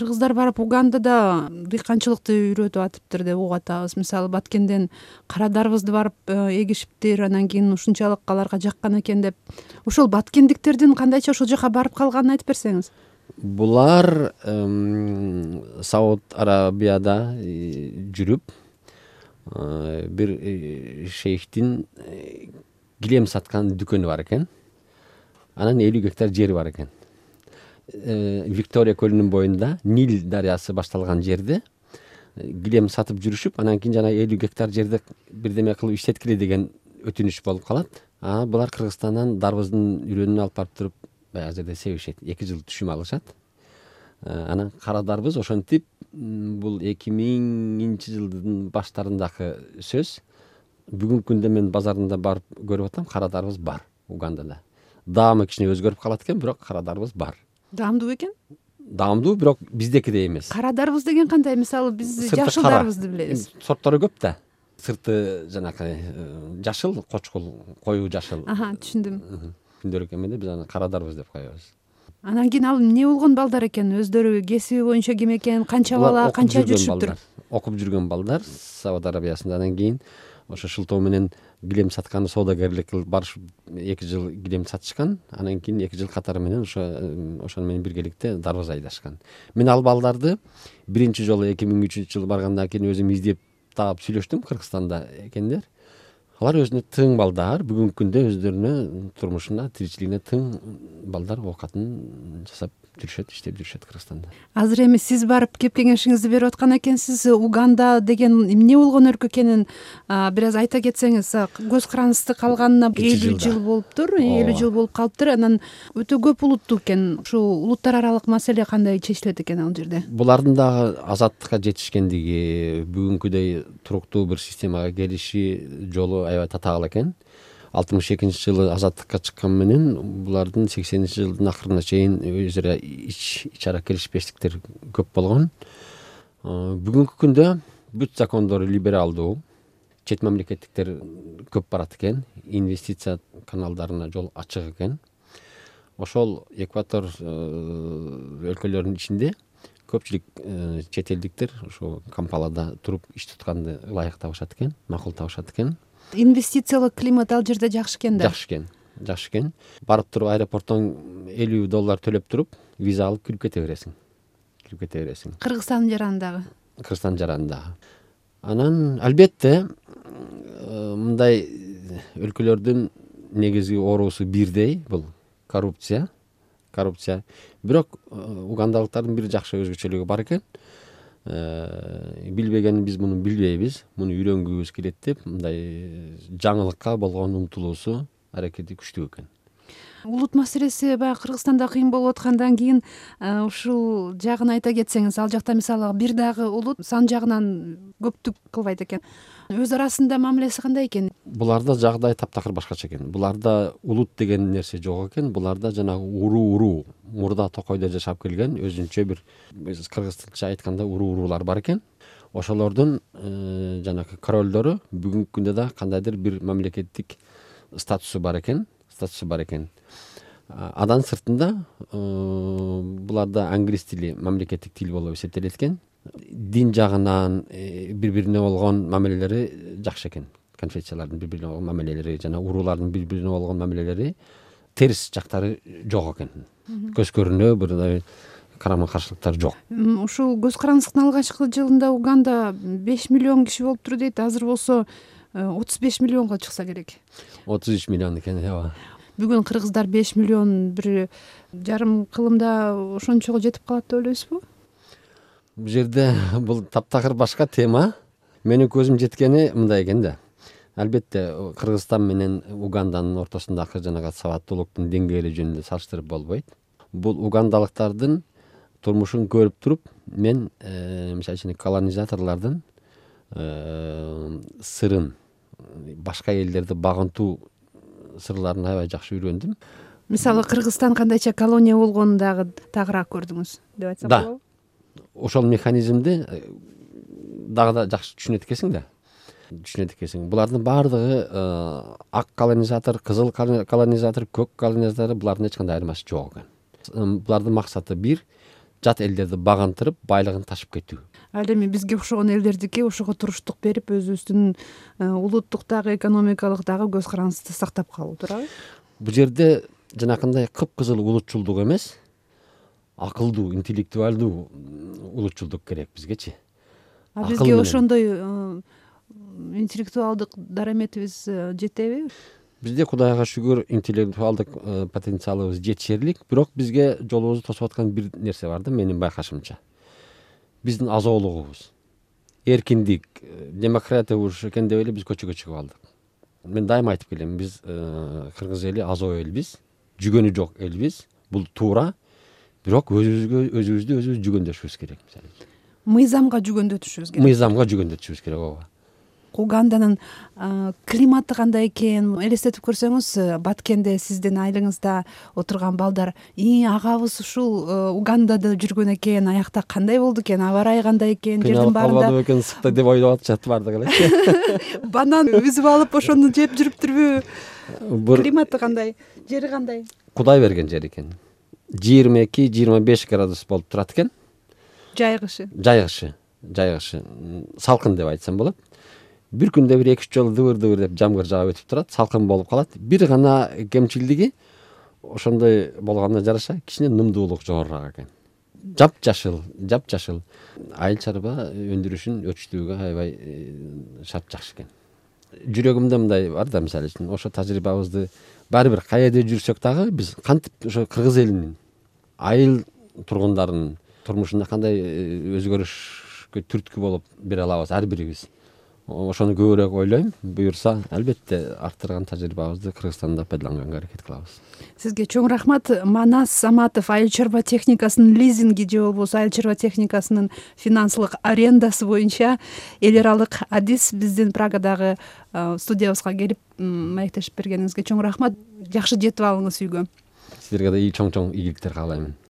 кыргыздар барып Угандада дыйканчылыкты үйрөтүп атыптыр деп угуп атабыз. Мисалы Баткенден кара дарбызды барып эгишиптир, анан кийин ушунчалык аларга жаккан экен деп. Ошол баткендиктердин кандайча ошол жака барып калганын айтып берсеңиз. Булар Сауд Арабияда жүрүп бир шейхтин килем саткан дүкөнү бар экен. Анан 50 гектар жери бар экен. Виктория көлүнүн боюнда Нил дарыясы башталган жерде килем сатып жүрүшүп, анан кийин жана 50 гектар жерди бирдеме кылып иштеткиле деген өтүнүч болуп калат. Булар Кыргызстандан дарбыздын үрөнүн алып барып туруп баягы жерде себишет. 2 жыл түшүм алышат. Анан кара дарбыз ошентип бул 2000-жылдын баштарындагы сөз. Бүгүнкү күндө мен базарында барып көрүп атам, кара дарбыз бар Угандада. Даамы кичине өзгөрүп калат экен, бирок кара дарбыз бар. Даамдуу экен? Даамдуу, бирок биздекидей эмес. Кара дарбыз деген кандай? Мисалы биз жашыл дарбызды билебиз. Сорттору көп да. Сырты жанакы жашыл, кочкул, коюу жашыл. Түшүндүм. Күндөрү эмеде биз аны кара дарбыз деп коебуз. Анан кийин ал эмне болгон балдар экен? Өздөрү кесиби боюнча ким экен? Канча бала, канча жүрүшүптүр? Окуп жүргөн балдар Сауд Арабиясында. Анан кийин ошо шылтоо менен килем саткан соодагерлик кылып барышып 2 жыл килем сатышкан. Анан кийин 2 жыл катары менен ошону менен биргеликте дарбыз айдашкан. Мен ал балдарды биринчи жолу 2003-жылы баргандан кийин өзүм издеп таап сүйлөштүм. Кыргызстанда экендер. Алар өзүнө тың балдар, бүгүнкү күндө өздөрүнө турмушуна, тиричилигине тың балдар оокатын жасап жүрүшөт, иштеп жүрүшөт Кыргызстанда. Азыр эми сиз барып кеп кеңешиңизди берип аткан экенсиз. Уганда деген эмне болгон өлкө экенин бир аз айта кетсеңиз. Көз карандысты калганына 50 жыл болуптур, 50 жыл болуп калыптыр. Анан өтө көп улуттуу экен. Ушул улуттар аралык маселе кандай чечилет экен ал жерде? Булардын дагы азаттыкка жетишкендиги, бүгүнкүдөй туруктуу бир системага келиши жолу аябай татаал экен. 62-жылы азаттыкка чыккан менен булардын 80-жылдын акырына чейин өз ара ич ара келишпештиктер көп болгон. Бүгүнкү күндө бүт закондору либералдуу, чет мамлекеттиктер көп барат экен, инвестиция каналдарына жол ачык экен. Ошол экватор өлкөлөрүнүн ичинде көпчүлүк чет элдиктер ошо Кампалада туруп иш тутканды ылайык табышат экен, макул табышат экен. Инвестициялык климат ал жерде жакшы экен да. Жакшы экен. Барып туруп аэропорттон $50 төлөп туруп, виза алып кирип кете бересиң. Кыргызстандын жарандагы. Анан албетте мындай өлкөлөрдүн негизги оорусу бирдей, бул коррупция. Бирок угандалыктардын бир жакшы өзгөчөлүгү бар экен. Билбегенин биз муну билбейбиз, муну үйрөнгүбүз келет деп мындай жаңылыкка болгон умтулуусу, аракети күчтүү экен. Улут маселеси баягы Кыргызстанда кыйын болуп аткандан кийин ушул жагын айта кетсеңиз, ал жакта мисалы бир дагы улут сан жагынан көптүк кылбайт экен. Өз арасында мамилеси кандай экен? Буларда жагдай таптакыр башкача экен. Буларда улут деген нерсе жок экен. Буларда жанагы уруу, мурда токойдо жашап келген өзүнчө бир кыргызча айтканда уруулар бар экен. Ошолордун жанагы королдору бүгүнкү күндө да кандайдыр бир мамлекеттик статусу бар экен. Адан сыртында буларда англис тили мамлекеттик тил болуп эсептелет экен. Дин жагынан бири-бирине болгон мамилелери жакшы экен. Конфессиялардын бири-бирине болгон мамилелери жана уруулардын бири-бирине болгон мамилелери терс жактары жок экен. Көз көрүнө бир карама-каршылыктар жок. Ушул көз карандысынын алгачкы жылында Уганда 5 миллион киши болуптур дейт. Азыр болсо 35 миллионго чыкса керек. 33 миллион экен, ооба. Бүгүн кыргыздар 5 миллион бир жарым кылымда ошончого жетип калат деп ойлойсузбу? Бул жерде бул таптакыр башка тема. Менин көзүм жеткени мындай экен да. Албетте Кыргызстан менен Уганданын ортосундагы жанагы сабаттуулуктун деңгээли жөнүндө салыштырып болбойт. Бул угандалыктардын турмушун көрүп туруп, мен мисалы үчүн колонизаторлордун сырын, башка элдерди багынтуу сырларын аябай жакшы үйрөндүм. Мисалы Кыргызстан кандайча колония болгонун дагы тагыраак көрдүңүз деп айтсак болобу? Ошол механизмди дагы да жакшы түшүнөт экенсиң. Булардын баардыгы ак колонизатор, кызыл колонизатор, көк колонизатор, булардын эч кандай айырмасы жок экен. Булардын максаты бир, жат элдерди багантырып байлыгын ташып кетүү. Ал эми бизге окшогон элдердики ошого туруштук берип өзүбүздүн улуттук дагы экономикалык дагы көз карандыбызды сактап калуу, туурабы? Бул жерде жанакындай кыпкызыл улутчулдук эмес, акылдуу, интеллектуалдуу улутчулдук керек бизгечи. Бизге ошондой интеллектуалдык дараметибиз жетеби? Бизде Кудайга шүгүр интеллектуалдык потенциалыбыз жетишерлик, бирок бизге жолубузду тосуп аткан бир нерсе бар да, менин байкашымча. Биздин азоолугубуз, эркиндик, демократия уруш экен деп эле биз көчөгө чыгып алдык. Мен дайыма айтып келем, биз кыргыз эли азоо элбиз, жүгөнү жок элбиз. Бул туура, бирок өзүбүздү жүгөндөшүбүз керек. Мыйзамга жүгөндөтүшүбүз керек. Мыйзамга жүгөндөтүшүбүз керек, ооба. Уганданын климаты кандай экен элестетип көрсөңүз, Баткенде сиздин айылыңызда отурган балдар агабыз ушул Угандада жүргөн экен, аякта кандай болду экен, аба ырайы кандай экен, жердин баарында калбадыбы экен сыкта деп ойлоп атышат баардыгы эле. Банан үзүп алып ошону жеп жүрүптүрбү? Климаты кандай, жери кандай? Кудай берген жер экен. 22-25 градус болуп турат экен. Жайгышы. Салкын деп айтсам болот. Бир күндө бир 2-3 жолу дыбыр деп жамгыр жаап өтүп турат, салкын болуп калат. Бир гана кемчилдиги ошондой болгонуна жараша кичине нымдуулук жогорураак экен. Жапжашыл. Айыл чарба өндүрүшүн өрчүтүүгө аябай шарт жакшы экен. Жүрөгүмдө мындай бар да, мисалы үчүн ошо тажрыйбабызды баары бир каерде жүрсөк дагы биз кантип ошо кыргыз элинин, айыл тургундарынын турмушунда кандай өзгөрүшкө түрткү болуп бере алабыз ар бирибиз. Ошону көбүрөөк ойлойм. Буюрса, албетте арттырган тажрыйбабызды Кыргызстанда пайдаланганга аракет кылабыз. Сизге чоң рахмат. Манас Саматов айыл чарба техникасынын лизинги же болбосо айыл чарба техникасынын финансылык арендасы боюнча эл аралык адис биздин Прагадагы студиябызга келип маектешип бергениңизге чоң рахмат. Жакшы жетип алыңыз үйгө. Силерге да чоң игиликтер каалайм.